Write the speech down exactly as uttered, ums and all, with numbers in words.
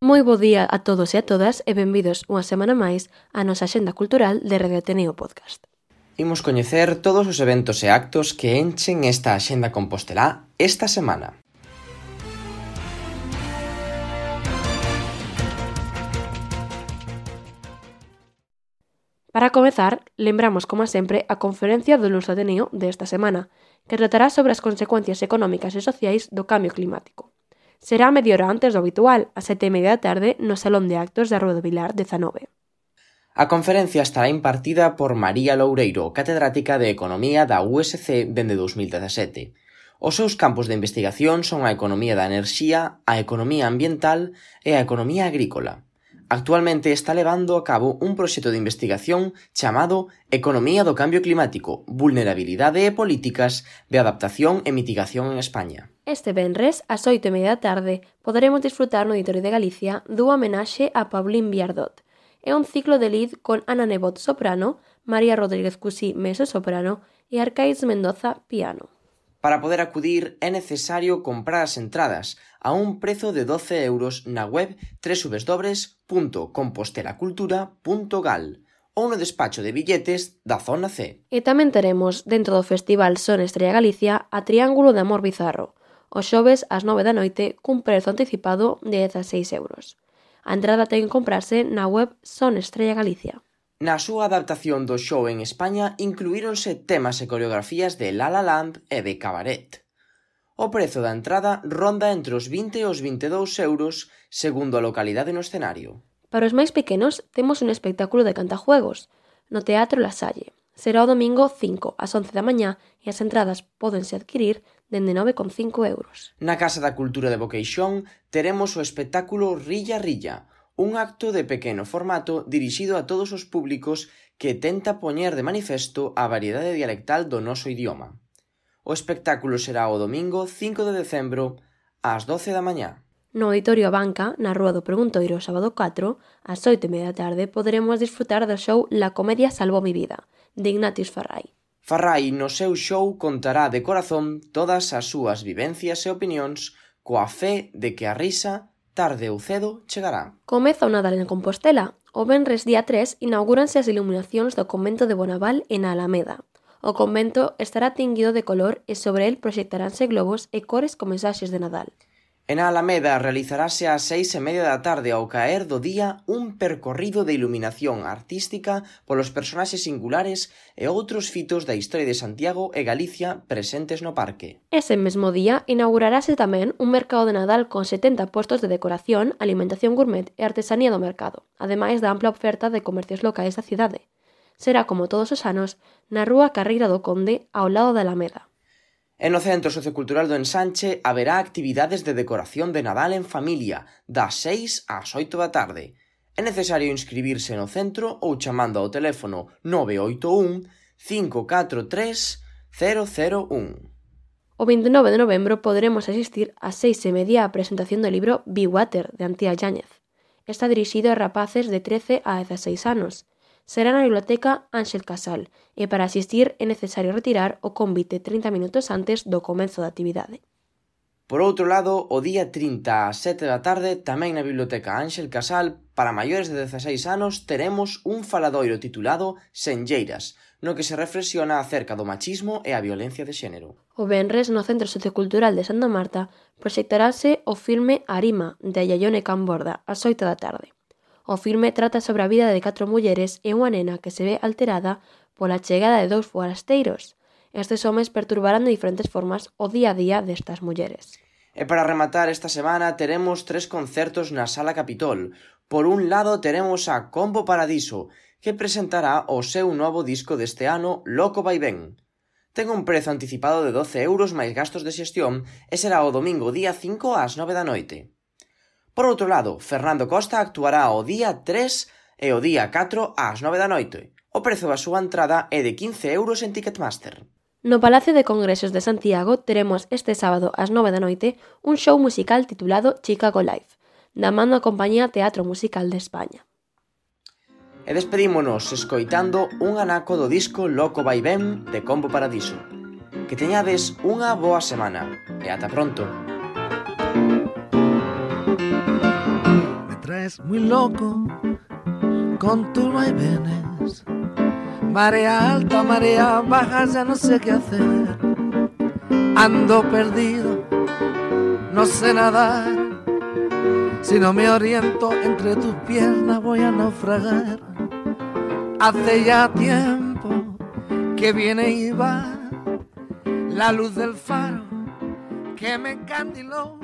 Moi bo día a todos e a todas e benvidos unha semana máis á nosa Axenda Cultural de Radio Ateneo Podcast. Imos coñecer todos os eventos e actos que enchen esta Axenda Compostelá esta semana. Para comezar, lembramos, como sempre, a conferencia do Luns Ateneo desta semana, que tratará sobre as consecuencias económicas e sociais do cambio climático. Será media hora antes do habitual, a sete e media da tarde, no Salón de Actos da Rúa do Vilar dezanove. A conferencia estará impartida por María Loureiro, catedrática de Economía da U S C dende dous mil dezasete. Os seus campos de investigación son a economía da enerxía, a economía ambiental e a economía agrícola. Actualmente está levando a cabo un proxecto de investigación chamado Economía do Cambio Climático, Vulnerabilidade e Políticas de Adaptación e Mitigación en España. Este venres, ás oito e media da tarde, poderemos disfrutar no Auditorio de Galicia dunha homenaxe a Paulín Viardot. É un ciclo de lead con Ana Nebot soprano, María Rodríguez Cusí mezzo-soprano e Arcais Mendoza piano. Para poder acudir é necesario comprar as entradas a un prezo de doce euros na web doble u doble u doble u punto compostelacultura punto gal ou no despacho de billetes da Zona C. E tamén teremos, dentro do Festival Son Estrella Galicia, a Triángulo de Amor Bizarro, os xoves ás nove da noite cun prezo anticipado de dezaseis euros. A entrada ten que comprarse na web Son Estrella Galicia. Na súa adaptación do show en España incluíronse temas e coreografías de La La Land e de Cabaret. O prezo da entrada ronda entre os vinte e os vinte e dous euros segundo a localidade no escenario. Para os máis pequenos temos un espectáculo de cantajuegos no Teatro La Salle. Será o domingo cinco ás once da mañá e as entradas pódense adquirir dende nove con cinco euros. Na Casa da Cultura de Boqueixón teremos o espectáculo Rilla Rilla, un acto de pequeno formato dirixido a todos os públicos que tenta poñer de manifesto a variedade dialectal do noso idioma. O espectáculo será o domingo cinco de decembro ás doce da mañá. No Auditorio Abanca, na Rúa do Preguntoiro, sábado catro, ás oito e media da tarde, poderemos disfrutar do show La Comedia Salvó mi vida, de Ignatius Farray. Farray no seu show contará de corazón todas as súas vivencias e opinións coa fe de que a risa, tarde ou cedo, chegará. Comeza o Nadal en Compostela. O venres día tres inaugúranse as iluminacións do convento de Bonaval en Alameda. O convento estará tinguido de color e sobre el proxectaránse globos e cores con mensaxes de Nadal. En Alameda realizarase ás seis e media da tarde ao caer do día un percorrido de iluminación artística polos personaxes singulares e outros fitos da historia de Santiago e Galicia presentes no parque. Ese mesmo día inaugurarase tamén un mercado de Nadal con setenta postos de decoración, alimentación gourmet e artesanía do mercado, ademais da ampla oferta de comercios locais da cidade. Será, como todos os anos, na Rúa Carreira do Conde, ao lado da Alameda. E no Centro Sociocultural do Ensanche haberá actividades de decoración de Nadal en familia, das seis ás oito da tarde. É necesario inscribirse no centro ou chamando ao teléfono nove oito un, cinco catro tres, cero cero un. O veintinueve de novembro poderemos asistir ás seis e media á presentación do libro Be Water, de Antía Yáñez. Está dirixido a rapaces de trece a dezaseis anos. Será na Biblioteca Ángel Casal e para asistir é necesario retirar o convite trinta minutos antes do comezo da actividade. Por outro lado, o día trinta ás sete da tarde, tamén na Biblioteca Ángel Casal, para maiores de dezaseis anos, teremos un faladoiro titulado Senlleiras, no que se reflexiona acerca do machismo e a violencia de xénero. O venres, no Centro Sociocultural de Santa Marta, proxectarase o filme Arima, de Yayone Camborda, ás oito da tarde. O filme trata sobre a vida de catro mulleres e unha nena que se ve alterada pola chegada de dous forasteiros. Estes homes perturbarán de diferentes formas o día a día destas mulleres. E para rematar esta semana teremos tres concertos na Sala Capitol. Por un lado teremos a Combo Paradiso, que presentará o seu novo disco deste ano, Loco Vaivén. Ten un prezo anticipado de doce euros máis gastos de xestión e será o domingo día cinco ás nove da noite. Por outro lado, Fernando Costa actuará o día tres e o día catro ás nove da noite. O prezo da súa entrada é de quince euros en Ticketmaster. No Palacio de Congresos de Santiago teremos este sábado ás nove da noite un show musical titulado Chicago Live, da man da compañía Teatro Musical de España. E despedímonos escoitando un anaco do disco Loco Vaivén de Combo Paradiso. Que teñades unha boa semana e ata pronto. traes muy loco con tus vaivenes. Marea alta, marea baja, ya no sé qué hacer. Ando perdido, no sé nadar. Si no me oriento entre tus piernas voy a naufragar. Hace ya tiempo que viene y va la luz del faro que me encandiló.